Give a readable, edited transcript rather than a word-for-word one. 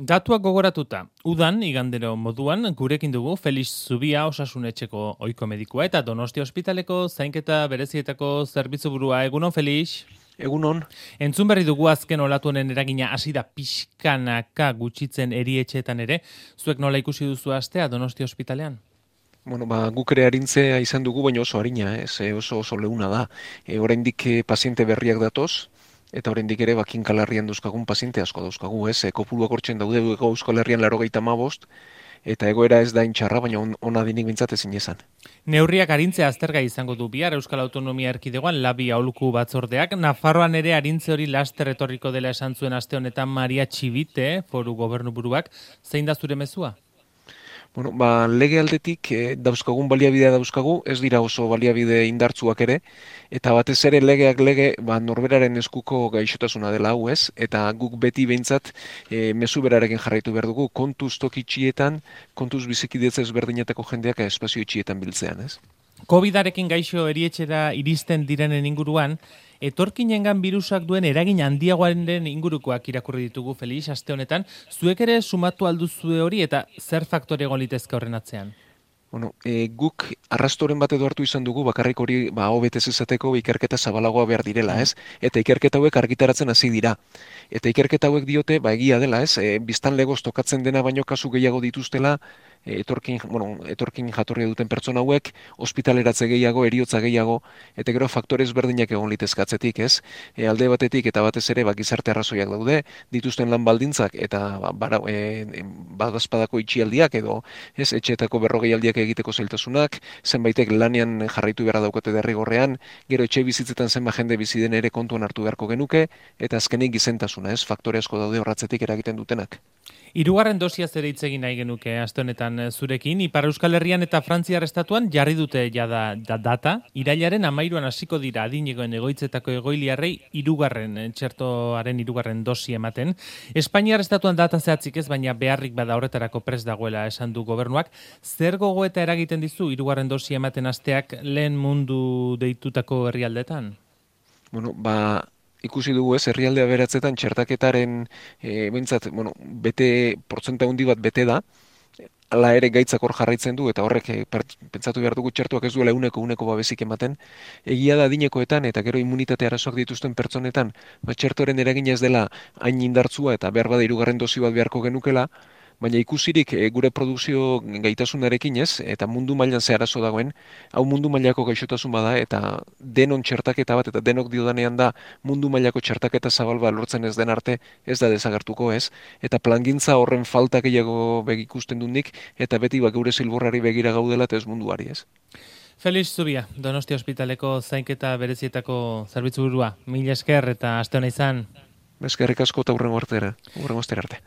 Datuak gogoratuta, udan igandero moduan gurekin dugu Felix Zubia Osasunetxeko ohiko medikua eta Donostia ospitaleko zainketa berezietako zerbitzuburua. Egunon, Felix? Egunon. Entzun berri dugu azken olatu honen eragina hasi da pixkanaka gutxitzen erietxeetan ere. Zuek nola ikusi duzu astea Donostia ospitalean? Guk ere arintzea izan dugu, baina oso arina, oso leuna da. Oraindik paziente berriak datoz, eta oraindik ere Kinkalarrian dauzkagun paziente asko dauzkagu, kopuruak hortzen daude Euskal Herrian 95, eta egoera ez da intxarra, baina ona dinik bintzat ezin esan. Neurriak arintzea aztergai izango du bihar Euskal Autonomia Erkidegoan labi aholku batzordeak. Nafarroan ere arintze hori laster etorriko dela esan zuen aste honetan Maria Txibite, foru gobernuburuak. Zein da zure mezua? Lege aldetik dauzkagun baliabidea dauzkagu, ez dira oso baliabide indartzuak ere, eta batez ere legeak norberaren eskuko gaixotasuna dela hau ez, eta guk beti behintzat mezu berarekin jarraitu behar dugu, kontuz toki txietan, kontuz bizikidetza ezberdinetako jendeak espazio txietan biltzean ez. Covidarekin gaixo erietxera iristen direnen inguruan, etorkinengan birusak duen eragin handiagoaren ingurukoak irakurri ditugu, Felix, aste honetan. Zuek ere sumatu alduzue hori eta zer faktore egon litezke horren atzean? Guk arrastoren bat edo hartu izan dugu, bakarrik hori hobetez izateko ikerketa zabalagoa behar direla, ez? Eta ikerketa hauek argitaratzen hasi dira. Eta ikerketa hauek diote, egia dela, ez? Biztan legoz tokatzen dena baino kasu gehiago dituztela, etorkin jatorria duten pertsona hauek, ospitaleratze gehiago, heriotza gehiago, eta gero faktore ezberdinak egon litezkatzetik, ez? Alde batetik eta batez ere gizarte arrazoiak daude, dituzten lan baldintzak eta badazpadako itxialdiak edo, ez, etxeetako berrogeialdiak egiteko zailtasunak, zenbaitek lanean jarraitu beharra daukate derrigorrean, gero etxe bizitzetan zenba jende bizi den ere kontuan hartu beharko genuke, eta azkenik gizentasuna, ez, faktore asko daude horratzetik eragiten dutenak. Hirugarren dosia ere hitz egin nahi genuke aste honetan zurekin. Ipar Euskal Herrian eta Frantziar estatuan jarri dute jada data. Irailaren 13an hasiko dira adinegoen egoitzetako egoiliarrei txertoaren hirugarren dosi ematen. Espainiar estatuan data zehatzik ez, baina beharrik bada horretarako prest dagoela esan du gobernuak. Zer gogoeta eragiten dizu hirugarren dosi ematen hasteak lehen mundu deitutako herrialdetan? Ikusi dugu ez, herrialde aberatzetan txertaketaren portzenta handi bat bete da, hala ere gaitzak hor jarraitzen du, eta horrek pentsatu behar dugu txertuak ez duela uneko babesik ematen. Egia da adinekoetan eta gero immunitate arazoak dituzten pertsonetan, txertoren eragina ez dela hain indartzua eta behar bada hirugarren dosi bat beharko genukela, baina ikusirik gure produkzio gaitasunarekin ez, eta mundu mailan ze arazo dagoen, hau mundu mailako gaixotasun bada, eta denon txertaketa bat, eta denok diodanean da mundu mailako txertaketa zabal bat lortzen ez den arte, ez da desagertuko ez, eta plangintza horren falta gehiago ikusten dunik, eta beti gure zilborrari begira gaudela eta ez munduari ez. Felix Zubia, Donostia ospitaleko zainketa berezietako zerbitzuburua. Mila esker eta aste hona izan. Eskerrik asko eta hurrengo astera arte.